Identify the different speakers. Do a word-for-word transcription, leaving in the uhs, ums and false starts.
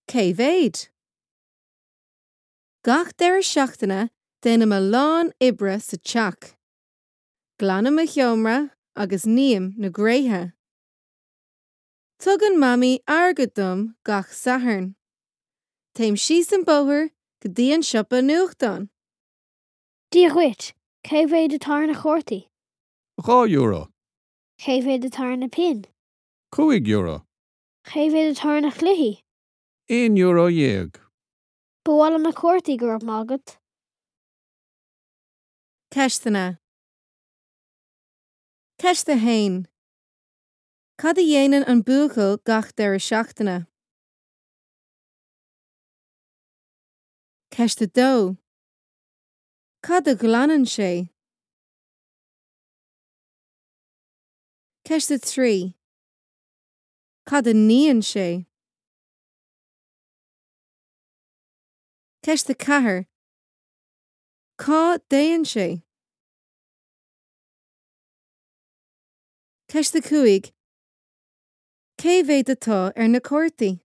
Speaker 1: Cé mhéad? Gach deireadh seachtaine déanaim a lán oibre sa teach. Glanaim mo sheomra agus ním na gréithe. Tugann Mamaí airgead dom gach Satharn. Téim síos an bóthar go dtí an siopa nuachtán.
Speaker 2: Dia dhuit, cé mhéad atá ar na cártaí?
Speaker 3: Dhá euro.
Speaker 2: Cé mhéad atá ar na pinn?
Speaker 3: Cúig euro.
Speaker 2: Cé mhéad atá ar na cluichí?
Speaker 3: Aon euro dhéag.
Speaker 2: Ba mhaith liom na cártaí go raibh maith agat.
Speaker 1: Ceisteanna. Ceist a haon. Cad a dhéanann an buachaill gach deireadh seachtaine? Ceist a dó. Cad a ghlanann sé? Ceist a trí. Cad a níonn sé? Ceist a ceathair. Cá dtéann sé? Ceist a cúig. Cé mhéad atá ar na cártaí?